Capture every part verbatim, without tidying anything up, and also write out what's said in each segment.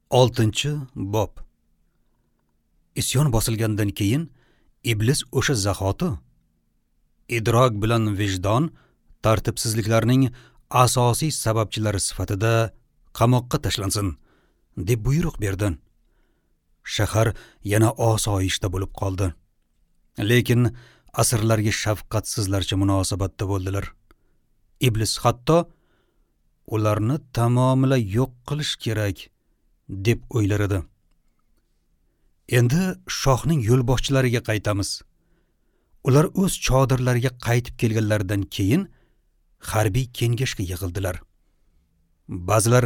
Oltinchi bob. Isyon bosilgandan keyin iblis o'sha zahoti idrok bilan vijdon tartibsizliklarning asosiy sababchilari sifatida qamoqqa tashlansin deb buyruq berdi. Shahar yana osoyishta bo'lib qoldi. Lekin asirlarga shafqatsizlarcha munosabatda bo'ldilar. Iblis hatto ularni tamomila yo'q qilish kerak deb o'ylar edi. Endi shohning yo'lboshchilariga qaytamiz. Ular o'z chodirlariga qaytib kelganlaridan keyin harbiy kengashga yig'ildilar. Ba'zilar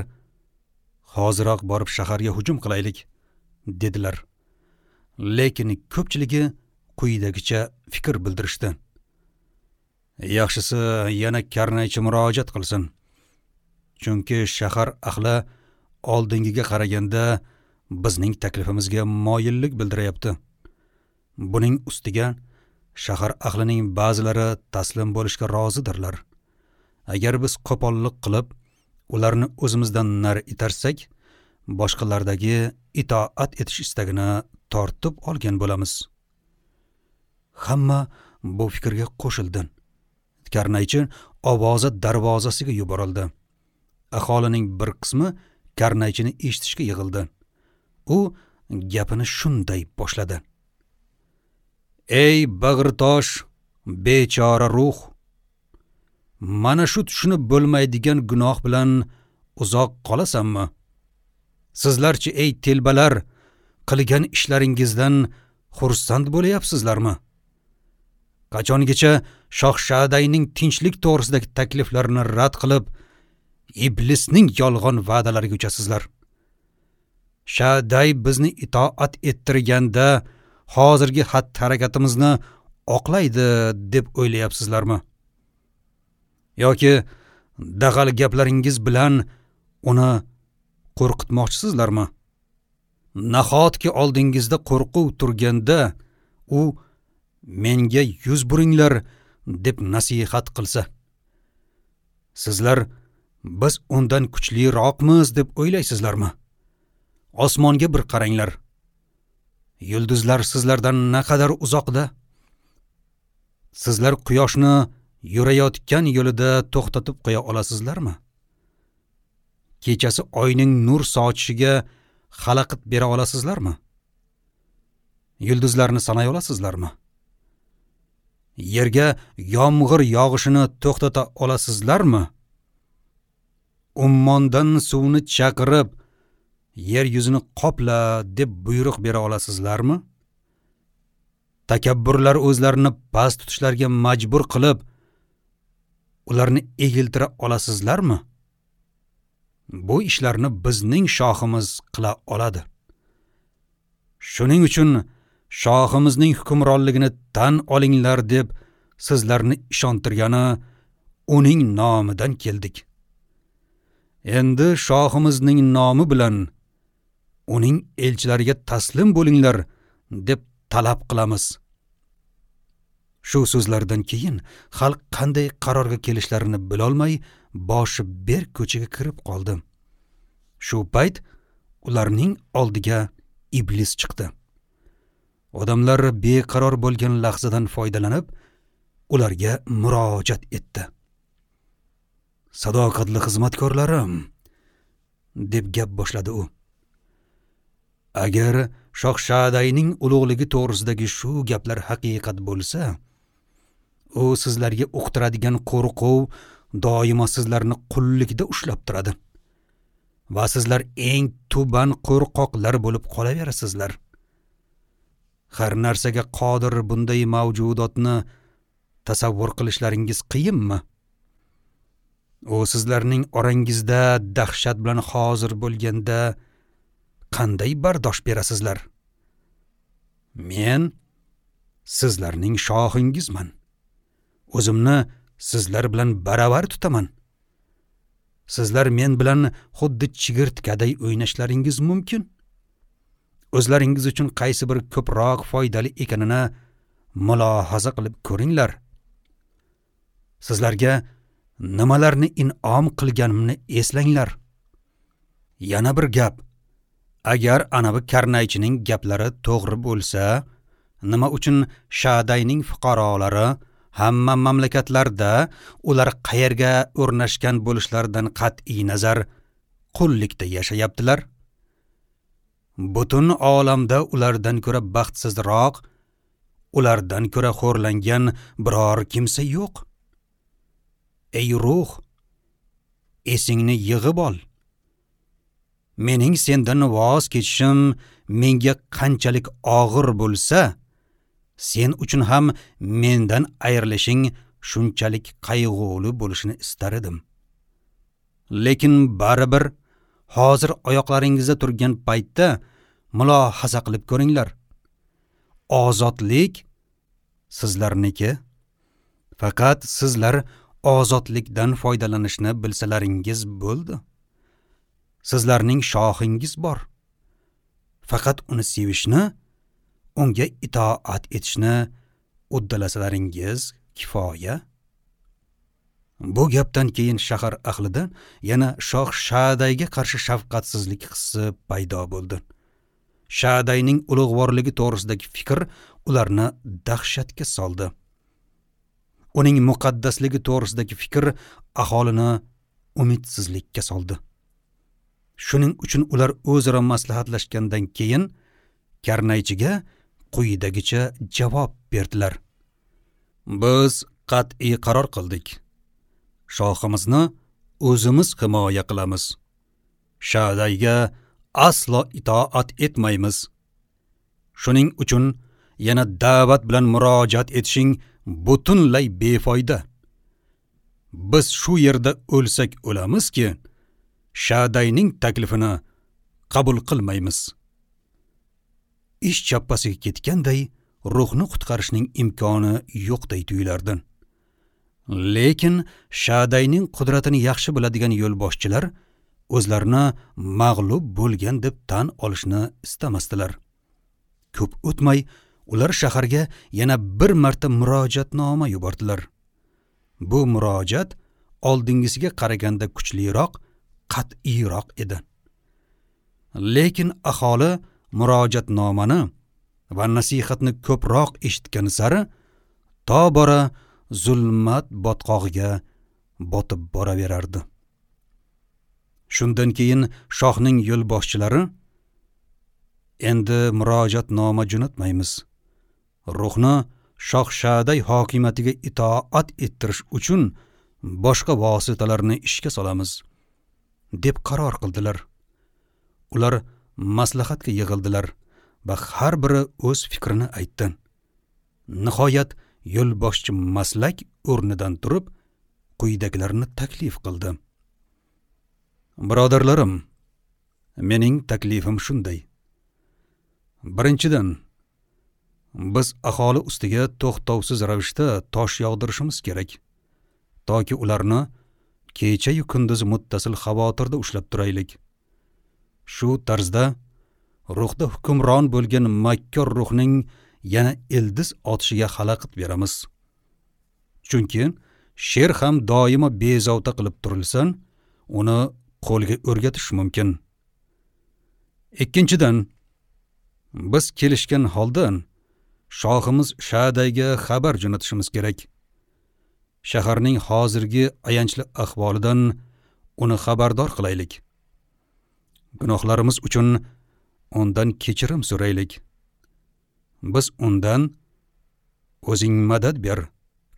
hoziroq borib shaharga hujum qilaylik dedilar. Lekin ko'pchiligi quyidagicha fikr bildirishdi. Yaxshisi yana karnaychi murojaat qilsin. Chunki shahar ahli oldingiga qaraganda bizning taklifimizga moyillik bildiryapti. Buning ustiga shahar ahlining ba'zilari taslim bo'lishga rozidirlar. Agar biz qo'pollik qilib, ularni o'zimizdan nari itarsak, boshqalardagi itoat etish istagini tortib olgan bo'lamiz. Hamma bu fikrga qo'shildi. Karnaychi ovozi darvozasiga yuborildi. Aholining bir qismi karnaychini eshitishga yig'ildi. U gapini shunday boshladi. Ey bag'ritosh, bechora ruh! Mana shu tushunib bo'lmaydigan gunoh bilan uzoq qolasanmi? Sizlarchi ey telbalar, qilgan ishlaringizdan xursand bo'layapsizlarmi? Qachongacha Shoh Shadayning tinchlik to'g'risidagi takliflarini rad qilib, iblisning yolg'on va'dalariga uchasizlar? Shaday bizni itoat ettirganda hozirgi xatti-harakatimizni oqlaydi deb o'ylayapsizlarmi? Yoki dag'al gaplaringiz bilan uni qo'rqitmoqchisizlarmi? Nahotki oldingizda qo'rquv turganda u menga yuz buringlar deb nasihat qilsa, sizlar biz undan kuchliroqmiz deb o'ylaysizlarmi? Osmonga bir qaranglar. Yulduzlar sizlardan naqadar uzoqda. Sizlar quyoshni yurayotgan yo'lida to'xtatib qo'ya olasizlarmi? Kechasi oyning nur sochishiga xalaqit bera olasizlarmi? Yulduzlarni sanay olasizlarmi? Yerga yomg'ir yog'ishini to'xtata olasizlarmi? Ummondan suvni chaqirib, yer yuzini qopla deb buyruq bera olasizlarmi? Takabburlar o'zlarini past tutishlariga majbur qilib, ularni egiltira olasizlarmi? Bu ishlarni bizning shohimiz qila oladi. Shuning uchun shohimizning hukmronligini tan olinglar deb sizlarni ishontirgani uning nomidan keldik. Endi shohimizning nomi bilan uning elchilariga taslim bo'linglar deb talab qilamiz. Shu so'zlardan keyin xalq qanday qarorga kelishlarini bilolmay, boshi berk ko'chaga kirib qoldi. Shu payt ularning oldiga iblis chiqdi. Odamlar beqaror bo'lgan lahzadan foydalanib, ularga murojaat etdi. Sadoqatli xizmatkorlarim, deb gap boshladi u. Agar Shoh Shadayning ulug'ligi to'g'risidagi shu gaplar haqiqat bo'lsa, u sizlarga uqtiradigan qo'rquv doimo sizlarni qullikda ushlab turadi va sizlar eng tuban qo'rqoqlar bo'lib qolaverasizlar. Har narsaga qodir bunday mavjudotni tasavvur qilishlaringiz qiyinmi? U sizlarning orangizda dahshat bilan hozir bo'lganda qanday bardosh berasizlar? Men sizlarning shohingizman. O'zimni sizlar bilan baravar tutaman. Sizlar men bilan xuddi chigirtkaday o'ynashlaringiz mumkin. O'zlaringiz uchun qaysi bir ko'proq foydali ekanini mulohaza qilib ko'ringlar. Sizlarga nimalarni in'om qilganimni eslanglar. Yana bir gap. Agar anavi karnaychining gaplari to'g'ri bo'lsa, nima uchun Shadayning fuqarolari hamma mamlakatlarda ular qayerga o'rnashgan bo'lishlaridan qat'iy nazar qullikda yashayaptilar? Butun olamda ulardan ko'ra baxtsizroq, ulardan ko'ra xo'rlangan biror kimsa yo'q. Ey ruh, esingni yig'ib ol. Mening sendan voz kechishim menga qanchalik og'ir bo'lsa, sen uchun ham mendan ayrilishing shunchalik qayg'uli bo'lishini istar edim. Lekin baribir hozir oyoqlaringizda turgan paytda mulohaza qilib ko'ringlar. Ozodlik sizlarniki. Faqat sizlar ozodlikdan foydalanishni bilsalaringiz bo'ldi. Sizlarning shohingiz bor. Faqat uni sevishni, unga itoat etishni uddalasalaringiz kifoya. Bu gapdan keyin shahar ahlida yana shoh Shadayga qarshi shafqatsizlik hissi paydo bo'ldi. Shadayning ulug'vorligi to'g'risidagi fikr ularni dahshatga soldi. Uning muqaddasligi to'g'risidagi fikr aholini umidsizlikka soldi. Shuning uchun ular o'zaro maslahatlashgandan keyin karnaychiga quyidagicha javob berdilar. Biz qat'iy qaror qildik. Shohimizni o'zimiz himoya qilamiz. Shadayga aslo itoat etmaymiz. Shuning uchun yana da'vat bilan murojaat etishing butunlay befoyda. Biz shu yerda o'lsak o'lamizki, Shadayning taklifini qabul qilmaymiz. Ish chappasiga ketganday ruhni qutqarishning imkoni yo'qday tuyulardi. Lekin Shadayning qudratini yaxshi biladigan yo'lboshchilar o'zlarini mag'lub bo'lgan deb tan olishni istamasdilar. Ko'p o'tmay ular shaharga yana bir marta murojaatnoma yubordilar. Bu murojaat oldingisiga qaraganda kuchliroq, qat'iyroq edi. Lekin aholi murojaatnomani va nasihatni ko'proq eshitgani sari tobora zulmat botqog'iga botib boraverardi. Shundan keyin shohning yo'lboshchilari endi murojaatnoma jo'natmaymiz. Ruhni shoh Shaday hokimiyatiga itoat ettirish uchun boshqa vositalarni ishga solamiz deb qaror qildilar. Ular maslahatga yig'ildilar va har biri o'z fikrini aytdi. Nihoyat yo'lboshchi maslak o'rnidan turib quyidagilarni taklif qildi. Birodarlarim, mening taklifim shunday. Birinchidan, biz aholi ustiga to'xtovsiz ravishda tosh yog'dirishimiz kerak, toki ularni kecha-yu kunduz muttasil xavotirda ushlab turaylik. Shu tarzda ruhda hukmron bo'lgan makkor ruhning yana ildiz otishiga xalaqit beramiz. Chunki sher ham doimo bezovta qilib turilsa, uni qo'lga o'rgatish mumkin. Ikkinchidan, biz kelishgan holda shohimiz Shadayga xabar jo'natishimiz kerak. Shaharning hozirgi ayanchli ahvolidan uni xabardor qilaylik. Gunohlarimiz uchun undan kechirim so'raylik. Biz undan o'zing madad ber,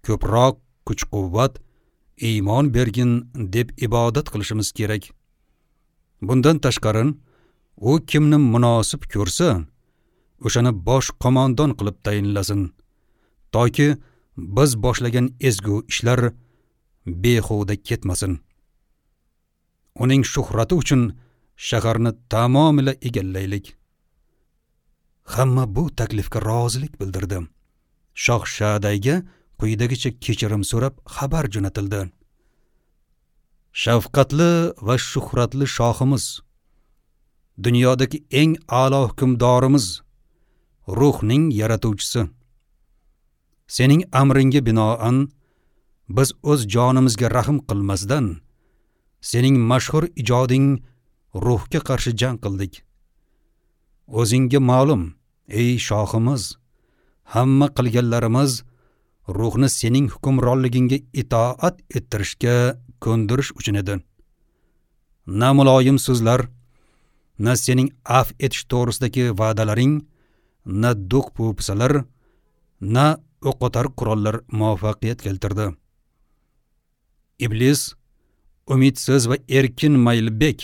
ko'proq kuch-quvvat, iymon bergin deb ibodat qilishimiz kerak. Bundan tashqari, u kimni munosib ko'rsa, o'shani bosh qo'mondon qilib tayinlasin, toki biz boshlagan ezgu ishlar behuda ketmasin. Uning shuhrati uchun shaharni tamomila egallaylik. Hamma bu taklifga rozilik bildirdi. Shoh Shadayga quyidagicha kechirim so'rab xabar jo'natildi. Shafqatli va shuhratli shohimiz, dunyodagi eng a'lo hukmdorimiz, ruhning yaratuvchisi, sening amringga binoan biz o'z jonimizga rahm qilmasdan sening mashhur ijoding ruhga qarshi jang qildik. O'zingga ma'lum, ey shohimiz, hamma qilganlarimiz ruhni sening hukmronligingga itoat ettirishga ko'ndirish uchun edi. Na muloyim so'zlar, na sening af etish to'g'risidagi va'dalaring, na do'q po'pisalar, na o'qotar qurollar muvaffaqiyat keltirdi. Iblis, umidsiz va erkin maylbek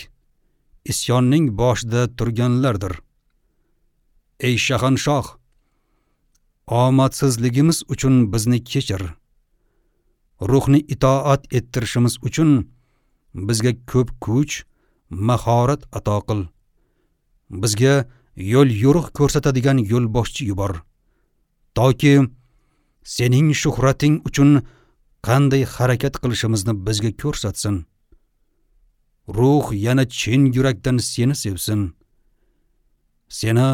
isyonning boshida turganlardir. Ey shahanshoh, omadsizligimiz uchun bizni kechir. Ruhni itoat ettirishimiz uchun bizga ko'p kuch, mahorat ato qil. Bizga yo'l yo'riq ko'rsatadigan yo'lboshchi yubor, toki sening shuhrating uchun qanday harakat qilishimizni bizga ko'rsatsin. Ruh yana chin yurakdan seni sevsin. Seni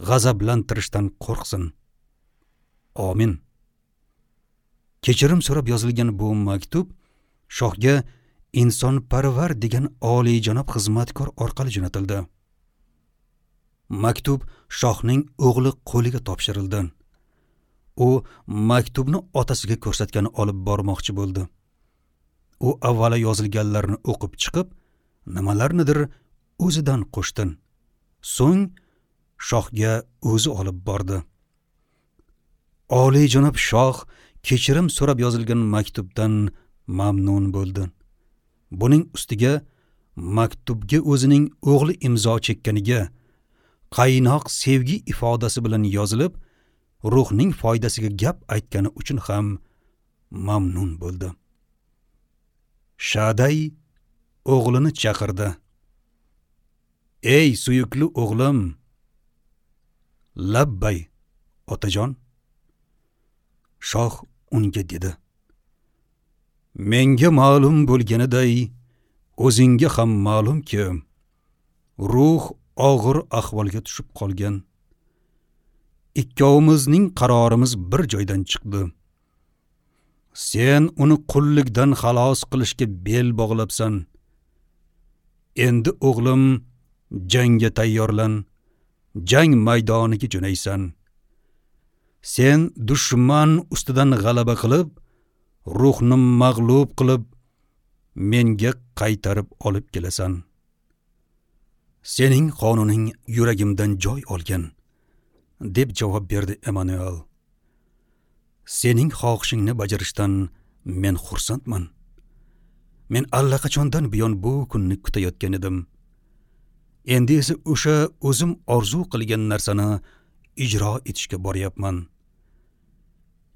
g'azablantirishdan qo'rqsin. Amin. Kechirim so'rab yozilgan bu maktub shohga insonparvar degan oliyjanob xizmatkor orqali jo'natildi. Maktub shohning o'g'li qo'liga topshirildi. U maktubni otasiga ko'rsatgani olib bormoqchi bo'ldi. U avvalo yozilganlarni o'qib chiqib, nimalarnidir o'zidan qo'shdi. So'ng shohga o'zi olib bordi. Oliyjanob shoh kechirim so'rab yozilgan maktubdan mamnun bo'ldi. Buning ustiga maktubga o'zining o'g'li imzo chekkaniga qaynoq sevgi ifodasi bilan yozilib, ruhning foydasiga gap aytgani uchun ham mamnun bo'ldi. Shaday o'g'lini chaqirdi. Ey suyukli o'g'lim! Labbay, otajon. Shoh unga dedi: Menga ma'lum bo'lganiday, o'zingga ham ma'lumki, ruh og'ir ahvolga tushib qolgan. Ikkovimizning qarorimiz bir joydan chiqdi. Sen uni qullikdan xalos qilishga bel bog'labsan. Endi o'g'lim, jangga tayyorlan, jang maydoniga jo'naysan. Sen dushman ustidan g'alaba qilib, ruhni mag'lub qilib, menga qaytarib olib kelasan. Sening qonuning yuragimdan joy olgan, deb javob berdi Emanuel. Sening xohishingni bajarishdan men xursandman. Men allaqachondan buyon bu kunni kutayotgan edim. Endi esa o'sha o'zim orzu qilgan narsani ijro etishga boryapman.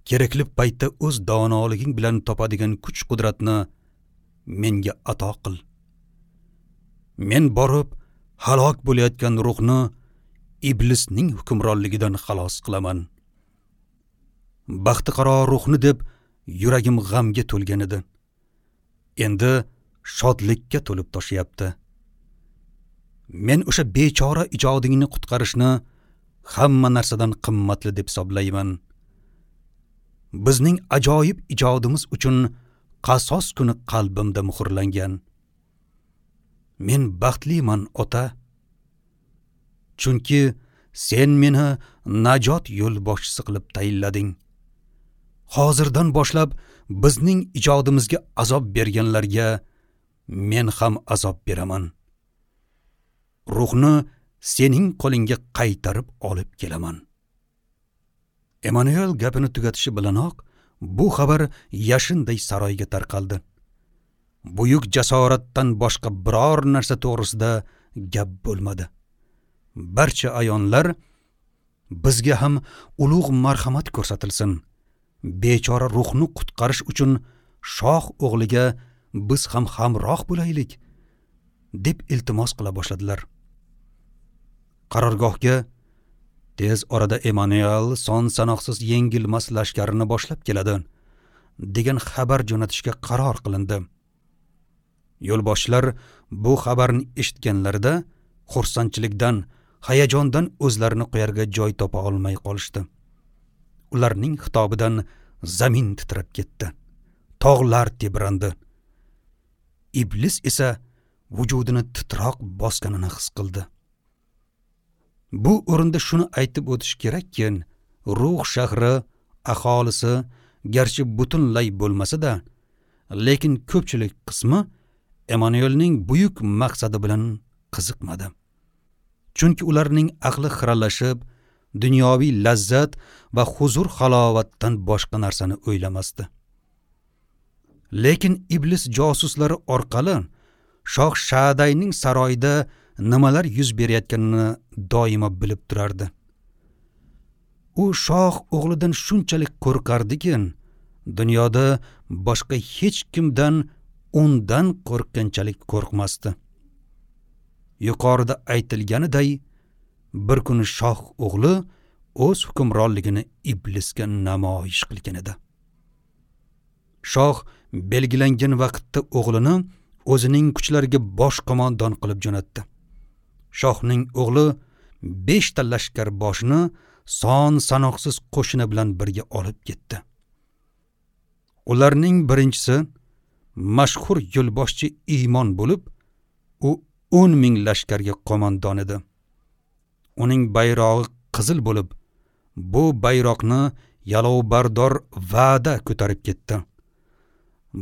Kerakli paytda o'z donoliging bilan topadigan kuch-qudratni menga ato qil. Men borib halok bo'layotgan ruhni iblisning hukmronligidan xalos qilaman. Baxtiqaro ruhni deb yuragim g'amga to'lgan edi. Endi shodlikka to'lib toshyapti. Men o'sha bechora ijodingni qutqarishni hamma narsadan qimmatli deb hisoblayman. Bizning ajoyib ijodimiz uchun qasos kuni qalbimda muhrlangan. Men baxtliman, ota. Chunki sen meni najot yo'lboshchisi qilib tayinlading. Hozirdan boshlab bizning ijodimizga azob berganlarga men ham azob beraman. Ruhni sening qo'lingga qaytarib olib kelaman. Emanuel gapini tugatishi bilanoq bu xabar yashinday saroyga tarqaldi. Buyuk jasoratdan boshqa biror narsa to'g'risida gap bo'lmadi. Barcha ayonlar bizga ham ulug' marhamat ko'rsatilsin. Bechora ruhni qutqarish uchun shoh o'g'liga biz ham hamroh bo'laylik, deb iltimos qila boshladilar. Qarorgohga tez orada Emanuel son sanoqsiz yengilmas lashkarini boshlab keladi degan xabar jo'natishga qaror qilindi. Yo'lboshchilar bu xabarni eshitganlarida xursandchilikdan, hayajondan o'zlarini qo'yarga joy topa olmay qolishdi. Ularning xitobidan zamin titrab ketdi. Tog'lar tebrandi. Iblis esa vujudini titroq bosganini his qildi. Bu o'rinda shuni aytib o'tish kerakki, Ruh shahri aholisi garchi butunlay bo'lmasa-da, lekin ko'pchilik qismi Emanuelning buyuk maqsadi bilan qiziqmadi. Chunki ularning aqli xiralashib, dunyoviy lazzat va huzur halovatdan boshqa narsani o'ylamasdi. Lekin iblis josuslari orqali Shoh Shadayning saroyida nimalar yuz berayotganini doimo bilib turardi. U shoh o'g'lidan shunchalik qo'rqardiki, dunyoda boshqa hech kimdan undan qo'rqqanchalik qo'rqmasdi. Yuqorida aytilganiday, bir kuni shoh o'g'li o'z hukmronligini iblisga namoyish qilgan edi. Shoh belgilangan vaqtda o'g'lini o'zining kuchlariga bosh qo'mondon qilib jo'natdi. Shohning o'g'li beshta lashkar boshini son sanoqsiz qo'shini bilan birga olib ketdi. Ularning birinchisi mashhur yo'lboshchi Iymon bo'lib, u o'n ming lashkarga qo'mondon edi. Uning bayrog'i qizil bo'lib, bu bayroqni yalovbardor Va'da ko'tarib ketdi.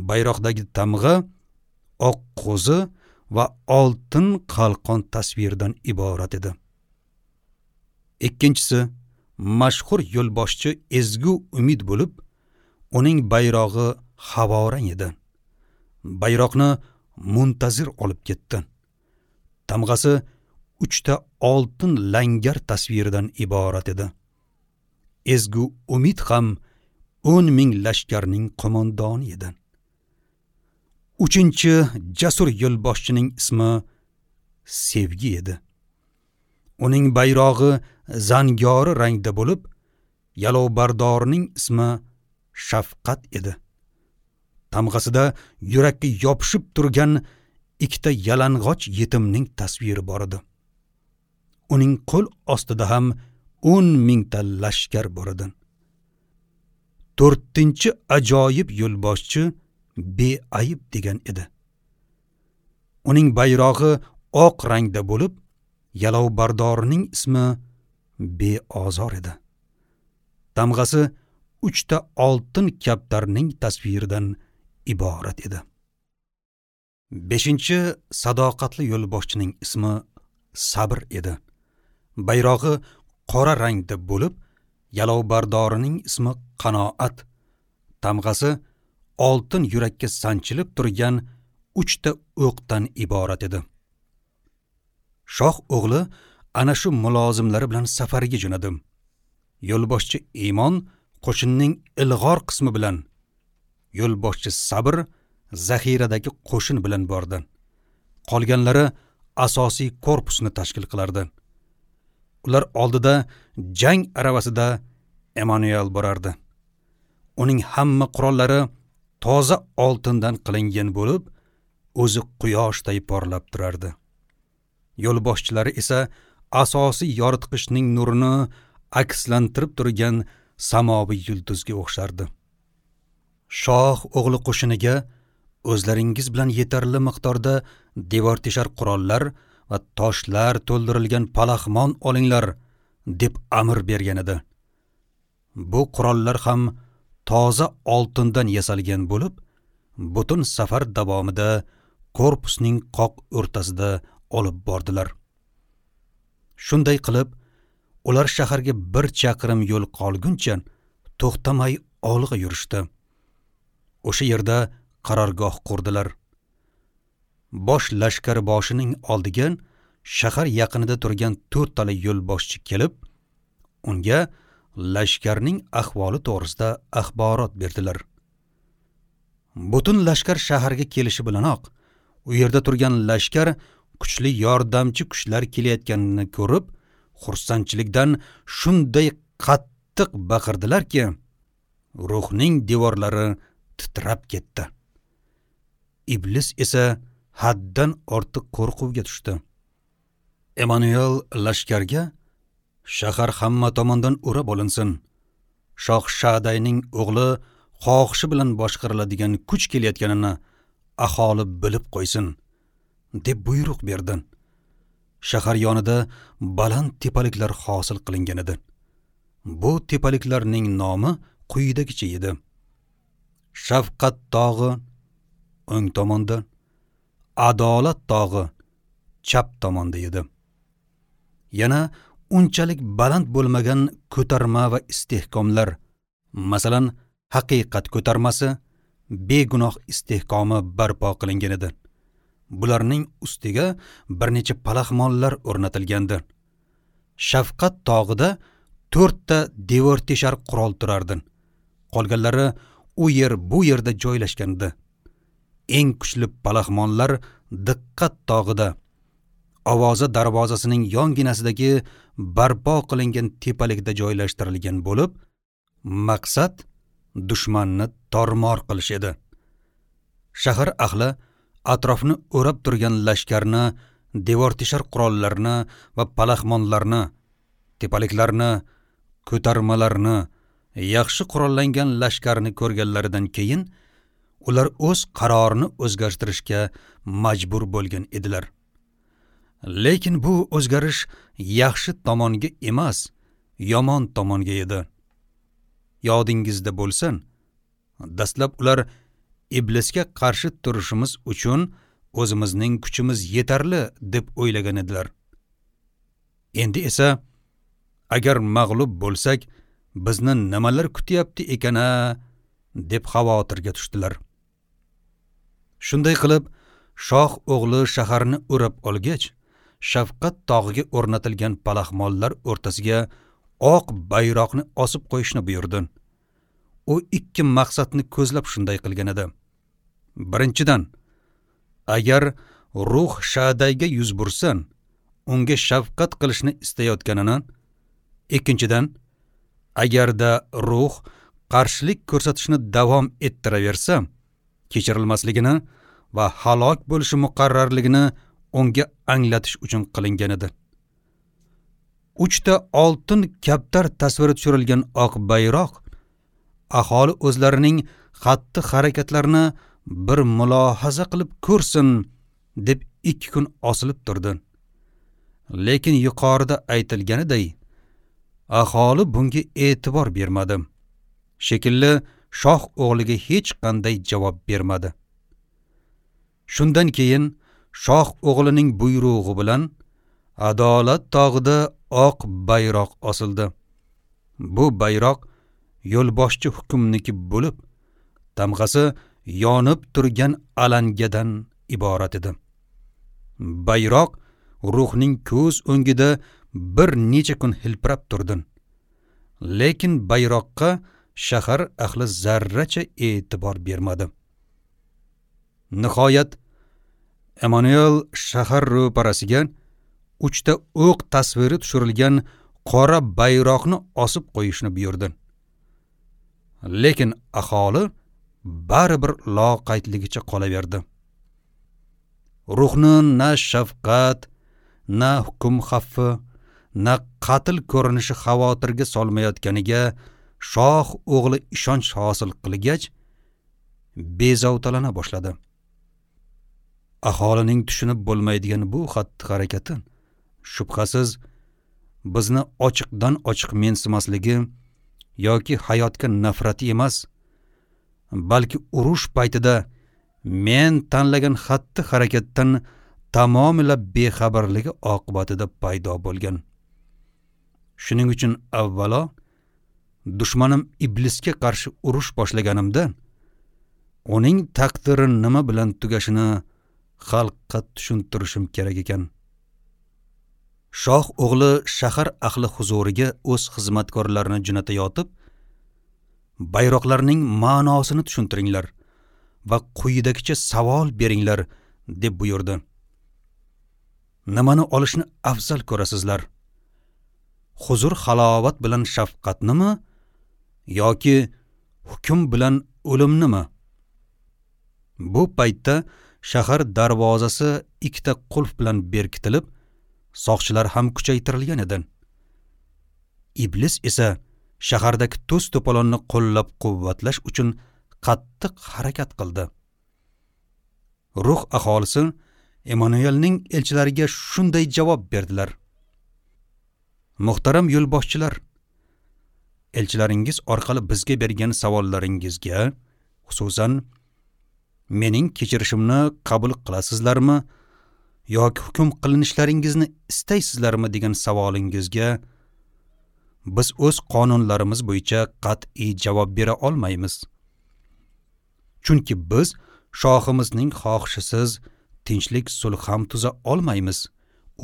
Bayroqdagi tamg'a oq qo'zi va oltin qalqon tasviridan iborat edi. Ikkinchisi mashhur yo'lboshchi Ezgu Umid bo'lib, uning bayrog'i havorang edi. Bayroqni Muntazir olib ketdi. Tamg'asi uchta oltin langar tasviridan iborat edi. Ezgu Umid ham o'n ming lashkarning qo'mondoni edi. Uchinchi jasur yo'lboshchining ismi Sevgi edi. Uning bayrog'i zangori rangda bo'lib, yalovbardorining ismi Shafqat edi. Tamg'asida yurakka yopishib turgan ikkita yalang'och yetimning tasviri bor edi. Uning qo'l ostida ham o'n mingta lashkar bor edi. To'rtinchi ajoyib yo'lboshchi Beayb degan edi. Uning bayrog'i oq rangda bo'lib, yalovbardorining ismi Beozor edi. Tamg'asi uchta oltin kaptarning tasviridan iborat edi. Beshinchi sadoqatli yo'lboshchining ismi Sabr edi. Bayrog'i qora rangda bo'lib, yalovbardorining ismi Qanoat. Tamg'asi oltin yurakka sanchilib turgan uchta o'qdan iborat edi. Shoh o'g'li ana shu mulozimlari bilan safarga jo'nadi. Yo'lboshchi Iymon qo'shinning ilg'or qismi bilan, yo'lboshchi Sabr zaxiradagi qo'shin bilan bordi. Qolganlari asosiy korpusni tashkil qilardi. Ular oldida jang aravasida Emanuel borardi. Uning hamma qurollari toza oltindan qilingan bo'lib, o'zi quyoshday porlab turardi. Yo'lboshchilari esa asosiy yoritqichning nurini akslantirib turgan samoviy yulduzga o'xshardi. Shoh o'g'li qo'shiniga o'zlaringiz bilan yetarli miqdorda devor teshar qurollar va toshlar to'ldirilgan palaxmon olinglar deb amr bergan edi. Bu qurollar ham toza oltindan yasalgan bo'lib, butun safar davomida korpusning qoq o'rtasida olib bordilar. Shunday qilib, ular shaharga bir chaqirim yo'l qolguncha to'xtamay olg'a yurishdi. O'sha yerda qarorgoh qurdilar. Bosh lashkar boshining oldiga shahar yaqinida turgan to'rttala yo'lboshchi kelib, unga lashkarning ahvoli to'g'risida axborot berdilar. Butun lashkar shaharga kelishi bilanoq, u yerda turgan lashkar kuchli yordamchi kuchlar kelayotganini ko'rib, xursandchilikdan shunday qattiq baqirdilarki, ruhning devorlari titrab ketdi. Iblis esa haddan ortiq qo'rquvga tushdi. Emanuel lashkarga: shahar hamma tomondan o'rab olinsin. Shoh Shadayning o'g'li xohishi bilan boshqariladigan kuch kelayotganini aholi bilib qo'ysin, deb buyruq berdi. Shahar yonida baland tepaliklar hosil qilingan edi. Bu tepaliklarning nomi quyidagicha edi: Shafqat tog'i o'ng tomonda, Adolat tog'i chap tomonda edi. Yana unchalik baland bo'lmagan ko'tarma va istehkomlar, masalan, haqiqat ko'tarmasi, begunoh istehkomi barpo qilingan edi. Bularning ustiga bir necha palaxmonlar o'rnatilgandi. Shafqat tog'ida to'rtta devor teshar qurol turardi. Qolganlari u yer bu yerda joylashgandi. Eng kuchli palaxmonlar Diqqat tog'ida, Ovoza darvozasining yonginasidagi barpo qilingan tepalikda joylashtirilgan bo'lib, maqsad dushmanni tormor qilish edi. Shahar ahli atrofni o'rab turgan lashkarni, devor teshar qurollarni va palaxmonlarni, tepaliklarni, ko'tarmalarni, yaxshi qurollangan lashkarni ko'rganlaridan keyin ular o'z qarorini o'zgartirishga majbur bo'lgan edilar. Lekin bu o'zgarish yaxshi tomonga emas, yomon tomonga edi. Yodingizda bo'lsin, dastlab ular iblisga qarshi turishimiz uchun o'zimizning kuchimiz yetarli deb o'ylagan edilar. Endi esa agar mag'lub bo'lsak, bizni nimalar kutyapti ekan-a deb xavotirga tushdilar. Shunday qilib, shoh o'g'li shaharni o'rab olgach, Shafqat tog'iga o'rnatilgan palaxmonlar o'rtasiga oq bayroqni osib qo'yishni buyurdi. U ikki maqsadni ko'zlab shunday qilgan edi. Birinchidan, agar ruh Shadayga yuz bursin, unga shafqat qilishni istayotganini, ikkinchidan, agarda ruh qarshilik ko'rsatishni davom ettiraversa, kechirilmasligini va halok bo'lishi muqarrarligini unga anglatish uchun qilingan edi. Uchta oltin kaptar tasviri tushirilgan oq bayroq aholi o'zlarining xatti harakatlarini bir mulohaza qilib ko'rsin deb ikki kun osilib turdi. Lekin yuqorida aytilganiday, aholi bunga e'tibor bermadi. Shekilli shoh o'g'liga hech qanday javob bermadi. Shundan keyin shoh o'g'lining buyrug'i bilan Adolat tog'ida oq bayroq osildi. Bu bayroq yo'lboshchi hukmniki bo'lib, tamg'asi yonib turgan alangadan iborat edi. Bayroq ruhning ko'z o'ngida bir necha kun hilpirab turdi. Lekin bayroqqa shahar ahli zarracha e'tibor bermadi. Nihoyat Emanuel shahar ro'parasiga uchta o'q tasviri tushirilgan qora bayroqni osib qo'yishni buyurdi. Lekin aholi baribir loqaydligicha qolaverdi. Ruhni na shafqat, na hukm xavfi, na qatl ko'rinishi xavotirga solmayotganiga shoh o'g'li ishonch hosil qilgach, bezovtalana boshladi. Aholining tushunib bo'lmaydigan bu xatti-harakati shubhasiz bizni ochiqdan ochiq mensimasligi yoki hayotga nafrati emas, balki urush paytida men tanlagan xatti-harakatdan tamomila bexabarligi oqibatida paydo bo'lgan. Shuning uchun avvalo dushmanim iblisga qarshi urush boshlaganimda uning taqdiri nima bilan tugashini xalqqa tushuntirishim kerak ekan. Shoh o'g'li shahar ahli huzuriga o'z xizmatkorlarini jo'natayotib, bayroqlarning ma'nosini tushuntiringlar va quyidagicha savol beringlar deb buyurdi. Nimani olishni afzal ko'rasizlar? Huzur halovat bilan shafqatnimi yoki hukm bilan o'limnimi? Bu paytda shahar darvozasi ikkita qulf bilan berkitilib, soqchilar ham kuchaytirilgan edi. Iblis esa shahardagi to's-to'polonni qo'llab-quvvatlash uchun qattiq harakat qildi. Ruh aholisi Emmanuelning elchilariga shunday javob berdilar: Muhtaram yo'lboshchilar, elchilaringiz orqali bizga bergan savollaringizga, xususan mening kechirishimni qabul qilasizlarmi yoki hukm qilinishlaringizni istaysizlarmi degan savolingizga biz o'z qonunlarimiz bo'yicha qat'iy javob bera olmaymiz. Chunki biz shohimizning xohishisiz tinchlik sulh ham tuza olmaymiz,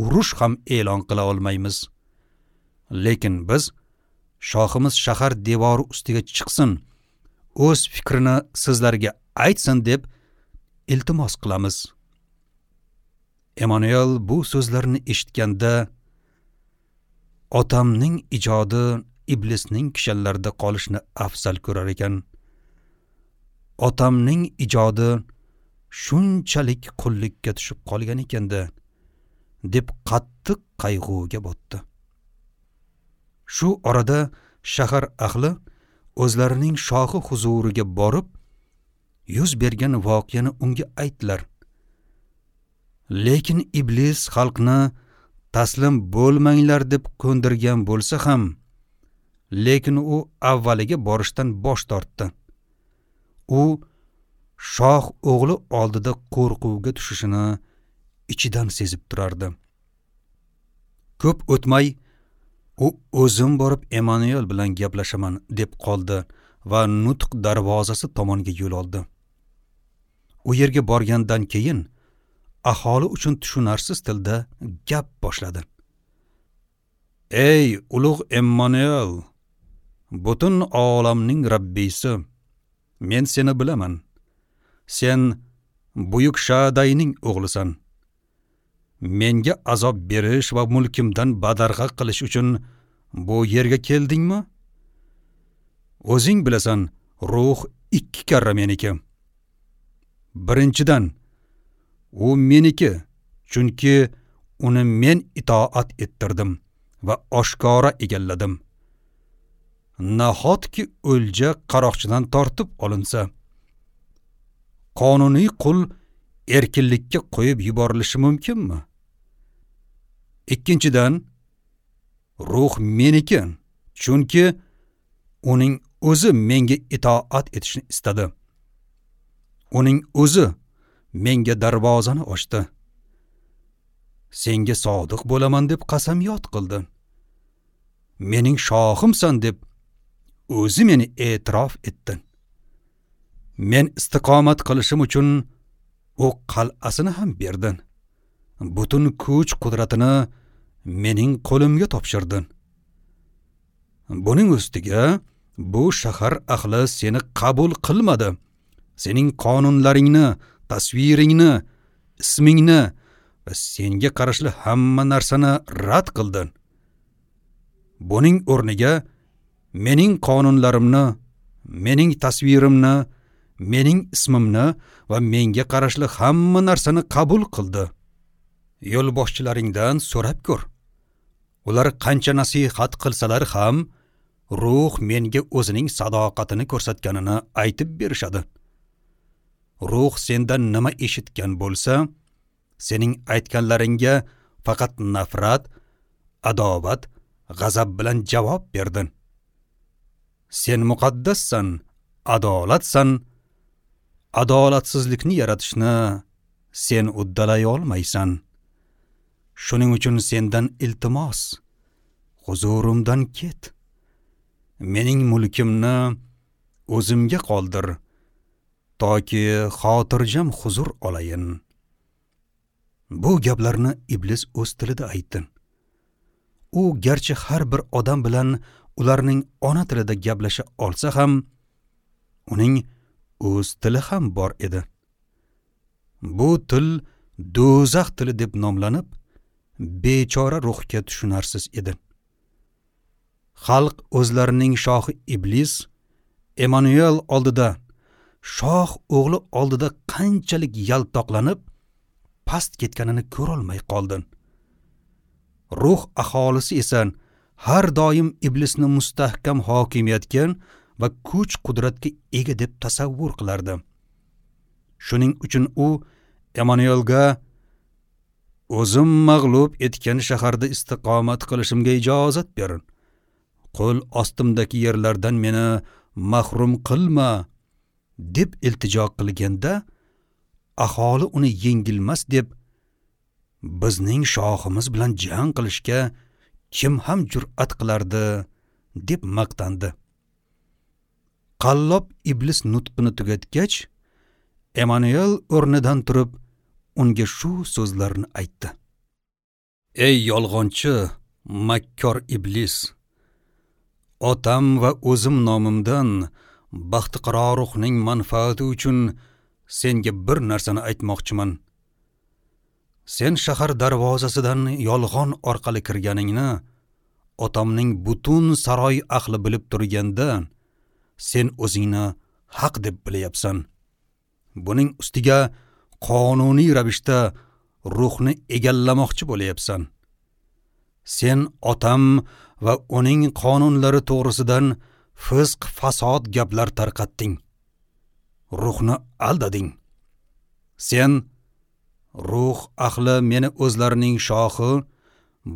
urush ham e'lon qila olmaymiz. Lekin biz shohimiz shahar devori ustiga chiqsin, o'z fikrini sizlarga aytsin deb iltimos qilamiz. Emmanuel bu so'zlarni eshitganda otamning ijodi iblisning kishanlarida qolishni afzal ko'rar ekan. Otamning ijodi shunchalik qullikka tushib qolgan ekanda deb qattiq qayg'uga botdi. Shu orada shahar ahli o'zlarining shohi huzuriga borib, yuz bergan voqeani unga aytdilar. Lekin iblis xalqni taslim bo'lmanglar deb ko'ndirgan bo'lsa ham, lekin u avvaliga borishdan bosh tortdi. U shoh o'g'li oldida qo'rquvga tushishini ichidan sezib turardi. Ko'p o'tmay u o'zim borib Emmanuel bilan gaplashaman deb qoldi va nutq darvozasi tomonga yo'l oldi. U yerga borgandan keyin aholi uchun tushunarsiz tilda gap boshladi. Ey ulug' Emmanuel, butun olamning Rabbisi, men seni bilaman. Sen buyuk Shadayning o'g'lisan. Menga azob berish va mulkimdan badarg'a qilish uchun bu yerga keldingmi? O'zing bilasan, ruh ikki karra meniki. Birinchidan, u meniki, chunki uni men itoat ettirdim va oshkora egalladim. Nahotki o'lja qaroqchidan tortib olinsa? Qonuniy qul erkinlikka qo'yib yuborilishi mumkinmi? Ikkinchidan, ruh meniki, chunki uning o'zi menga itoat etishni istadi. Uning o'zi menga darvozani ochdi. Senga sodiq bo'laman deb qasamyod qildi. Mening shohimsan deb o'zi meni e'tirof etdi. Men istiqomat qilishim uchun u qal'asini ham berdi. Butun kuch qudratini mening qo'limga topshirdi. Buning ustiga bu shahar ahli seni qabul qilmadi. Sening qonunlaringni, tasviringni, ismingni va senga qarashli hamma narsani rad qildi. Buning o'rniga mening qonunlarimni, mening tasvirimni, mening ismimni va menga qarashli hamma narsani qabul qildi. Yo'lboshchilaringdan so'rab ko'r. Ular qancha nasihat qilsalar ham, ruh menga o'zining sadoqatini ko'rsatganini aytib berishadi. Ruh sendan nima eshitgan bo'lsa, sening aytganlaringga faqat nafrat, adovat, g'azab bilan javob berdi. Sen muqaddassan, adolatsan. Adolatsizlikni yaratishni sen uddalay olmaysan. Shuning uchun sendan iltimos, huzurimdan ket. Mening mulkimni o'zimga qoldir, toki xotirjam huzur olayin. Bu gaplarni iblis o'z tilida aytdi. U garchi har bir odam bilan ularning ona tilida gaplasha olsa ham, uning o'z tili ham bor edi. Bu til do'zax tili deb nomlanib, bechora ruhga tushunarsiz edi. Xalq o'zlarining shohi iblis Emmanuel oldida, shoh o'g'li oldida qanchalik yaltoqlanib, past ketganini ko'rolmay qoldi. Ruh aholisi esa har doim iblisni mustahkam hokimiyatga va kuch qudratga ega deb tasavvur qilardi. Shuning uchun u Emmanuelga O'zim mag'lub etgan shaharda istiqomat qilishimga ijozat ber. Qo'l ostimdagi yerlardan meni mahrum qilma, deb iltijo qilganda, aholi uni yengilmas deb bizning shohimiz bilan jang qilishga kim ham jur'at qilardi, deb maqtandi. Qallob iblis nutqini tugatgach, Emanuel o'rnidan turib unga shu so'zlarni aytdi: Ey yolg'onchi, makkor iblis! Otam va o'zim nomimdan baxtiqaro ruhning manfaati uchun senga bir narsani aytmoqchiman. Sen shahar darvozasidan yolg'on orqali kirganingni otamning butun saroy ahli bilib turganda, sen o'zingni haq deb bilyapsan. Buning ustiga qonuniy ravishda ruhni egallamoqchi bo'lyapsan. Sen otam va uning qonunlari to'g'risidan fisq fasod gaplar tarqatding. Ruhni aldading. Sen ruh ahli meni o'zlarining shohi,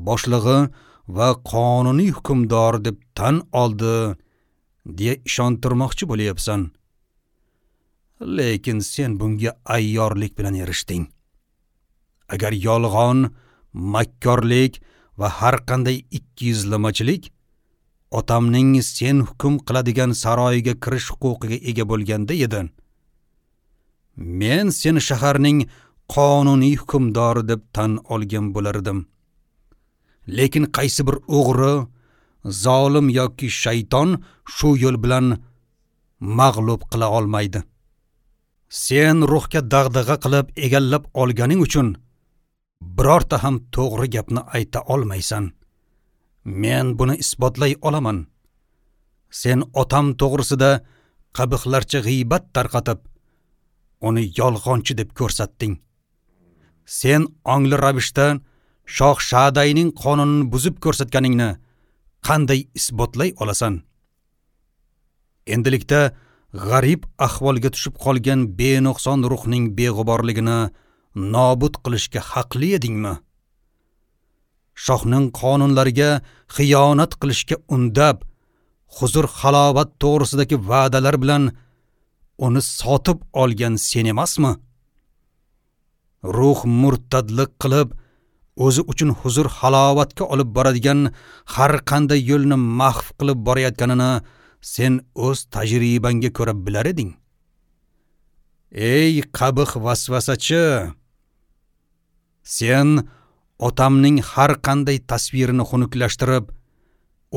boshlig'i va qonuniy hukmdor deb tan oldi deya ishontirmoqchi bo'lyapsan. Lekin sen bunga ayyorlik bilan erishding. Agar yolg'on, makkorlik va har qanday ikkiyuzlamachilik otamning sen hukm qiladigan saroyiga kirish huquqiga ega bo'lganda edi, men seni shaharning qonuniy hukmdori deb tan olgan bo'lar edim. Lekin qaysi bir o'g'ri, zolim yoki shayton shu yo'l bilan mag'lub qila olmaydi. Sen ruhga dag'dag'a qilib egallab olganing uchun birorta ham to'g'ri gapni ayta olmaysan. Men buni isbotlay olaman. Sen otam to'g'risida qabihlarcha g'iybat tarqatib, uni yolg'onchi deb ko'rsatding. Sen ongli ravishda shoh Shadayning qonunini buzib ko'rsatganingni qanday isbotlay olasan? Endilikda g'arib ahvolga tushib qolgan benuqson ruhning beg'uborligini nobud qilishga haqli edingmi? Shohning qonunlariga xiyonat qilishga undab, huzur halovat to'g'risidagi va'dalar bilan uni sotib olgan sen emasmi? Ruh murtadlik qilib, o'zi uchun huzur halovatga olib boradigan har qanday yo'lni mahv qilib borayotganini sen o'z tajribangga ko'ra bilar eding. Ey qabih vasvasachi! Sen otamning har qanday tasvirini xunuklashtirib,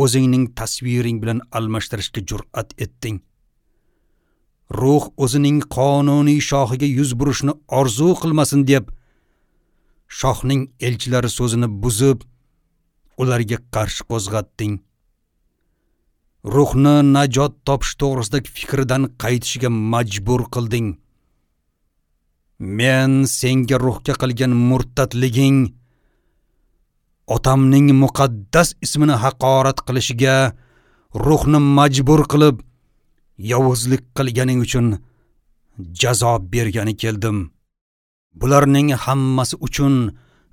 o'zingning tasviring bilan almashtirishga jur'at etding. Ruh o'zining qonuniy shohiga yuz burishni orzu qilmasin deb, shohning elchilari so'zini buzib, ularga qarshi qo'zg'atding. Ruhni najot topish to'g'risidagi fikridan qaytishga majbur qilding. Men senga ruhga qilgan murtadliging, otamning muqaddas ismini haqorat qilishiga ruhni majbur qilib, yovuzlik qilganing uchun jazo bergani keldim. Bularning hammasi uchun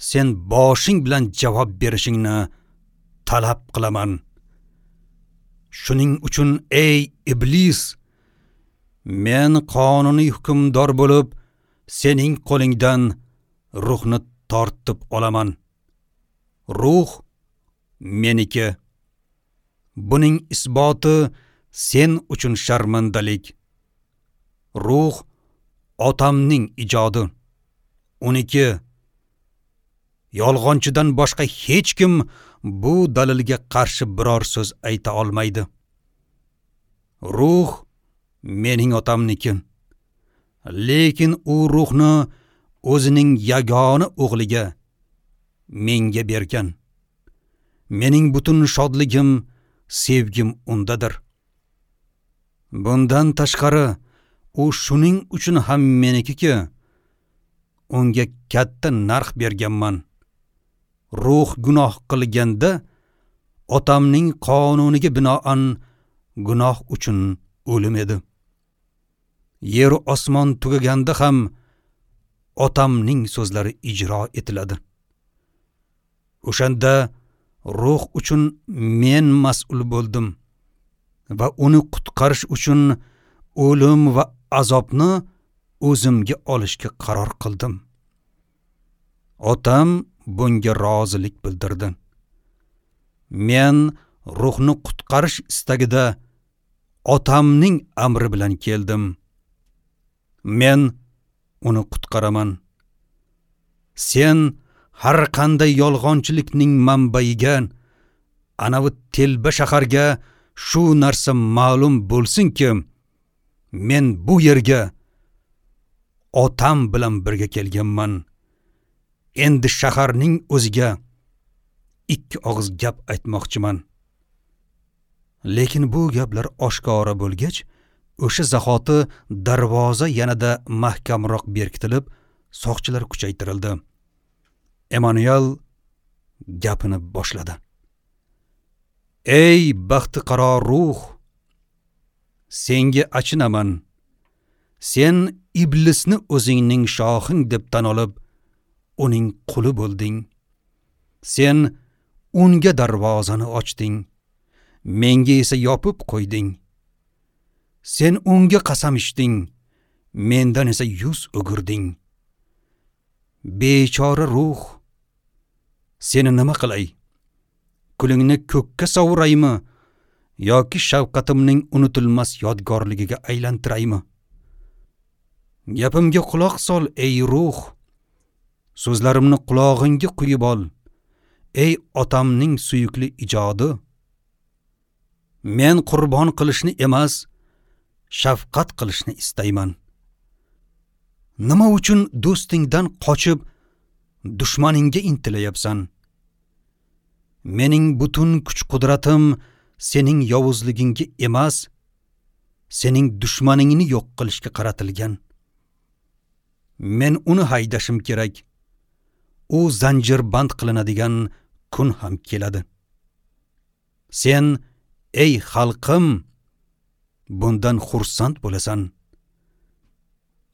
sen boshing bilan javob berishingni talab qilaman. Shuning uchun ey iblis, men qonuniy hukmdor bo'lib, sening qo'lingdan ruhni tortib olaman. Ruh meniki. Buning isboti sen uchun sharmandalik. Ruh otamning ijodi. Uniki. Yolg'onchidan boshqa hech kim bu dalilga qarshi biror so'z ayta olmaydi. Ruh mening otamniki. Lekin u ruhni o'zining yagona o'g'liga, menga bergan. Mening butun shodligim, sevgim undadir. Bundan tashqari, u shuning uchun ham menikiki, unga katta narx berganman. Ruh gunoh qilganda, otamning qonuniga binoan gunoh uchun o'lim edi. Yer osmon tugaganda ham otamning so'zlari ijro etiladi. O'shanda ruh uchun men mas'ul bo'ldim va uni qutqarish uchun o'lim va azobni o'zimga olishga qaror qildim. Otam bunga rozilik bildirdi. Men ruhni qutqarish istagida otamning amri bilan keldim. Men uni qutqaraman. Sen har qanday yolg'onchilikning manbaiga, anavi telba shaharga shu narsa ma'lum bo'lsinki, men bu yerga otam bilan birga kelganman. Endi shaharning o'ziga ikki og'iz gap aytmoqchiman. Lekin bu gaplar oshkora bo'lgach, o'sha zahoti darvoza yanada mahkamroq berkitilib, soqchilar kuchaytirildi. Emanuel gapini boshladi. Ey baxtiqaro ruh, senga achinaman. Sen iblisni o'zingning shohing deb tan olib, uning quli bo'lding. Sen unga darvozani ochding, menga esa yopib qo'yding. Sen unga qasam ichding, mendan esa yuz o'girding. Bechora ruh, seni nima qilay? Kulingni ko'kka sovuraymi yoki shafqatimning unutilmas yodgorligiga aylantiraymi? Gapimga quloq sol, ey ruh. So'zlarimni qulog'ingga quyib ol, ey otamning suyukli ijodi. Men qurbon qilishni emas, shafqat qilishni istayman. Nima uchun do'stingdan qochib, dushmaningga intilayapsan? Mening butun kuch-qudratim sening yovuzligingga emas, sening dushmaningni yo'q qilishga qaratilgan. Men uni haydashim kerak. U zanjirband qilinadigan kun ham keladi. Sen, ey xalqim, bundan xursand bo'lasan.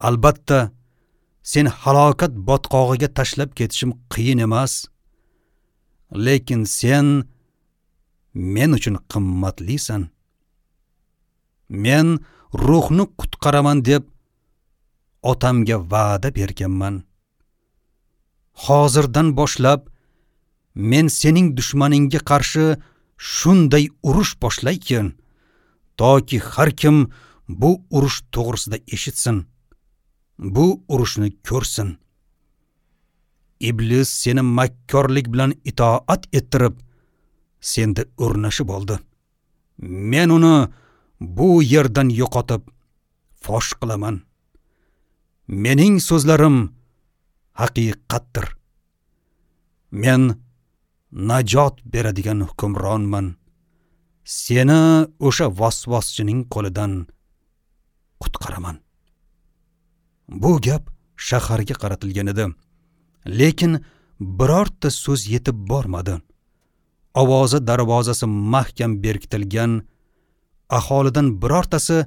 Albatta, sen halokat botqog'iga tashlab ketishim qiyin emas. Lekin sen men uchun qimmatlisan. Men ruhni qutqaraman deb otamga va'da berganman. Hozirdan boshlab men sening dushmaningga qarshi shunday urush boshlaykin, toki har kim bu urush to'g'risida eshitsin, bu urushni ko'rsin. Iblis seni makkorlik bilan itoat ettirib, senda o'rnashib oldi. Men uni bu yerdan yo'qotib, fosh qilaman. Mening so'zlarim haqiqatdir. Men najot beradigan hukmronman. Seni o'sha vasvaschining qo'lidan qutqaraman. Bu gap shaharga qaratilgan edi. Lekin birorta so'z yetib bormadi. Ovozi darvozasi mahkam berkitilgan, aholidan birortasi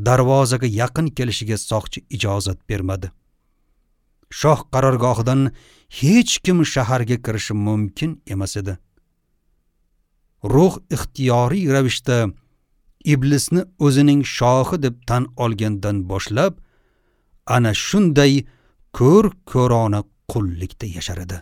darvozaga yaqin kelishiga soqchi ijozat bermadi. Shoh qarorgohidan hech kim shaharga kirishi mumkin emas edi. Ruh ixtiyoriy ravishda iblisni o'zining shohi deb tan olgandan boshlab ana shunday ko'r-ko'rona qullikda yashar edi.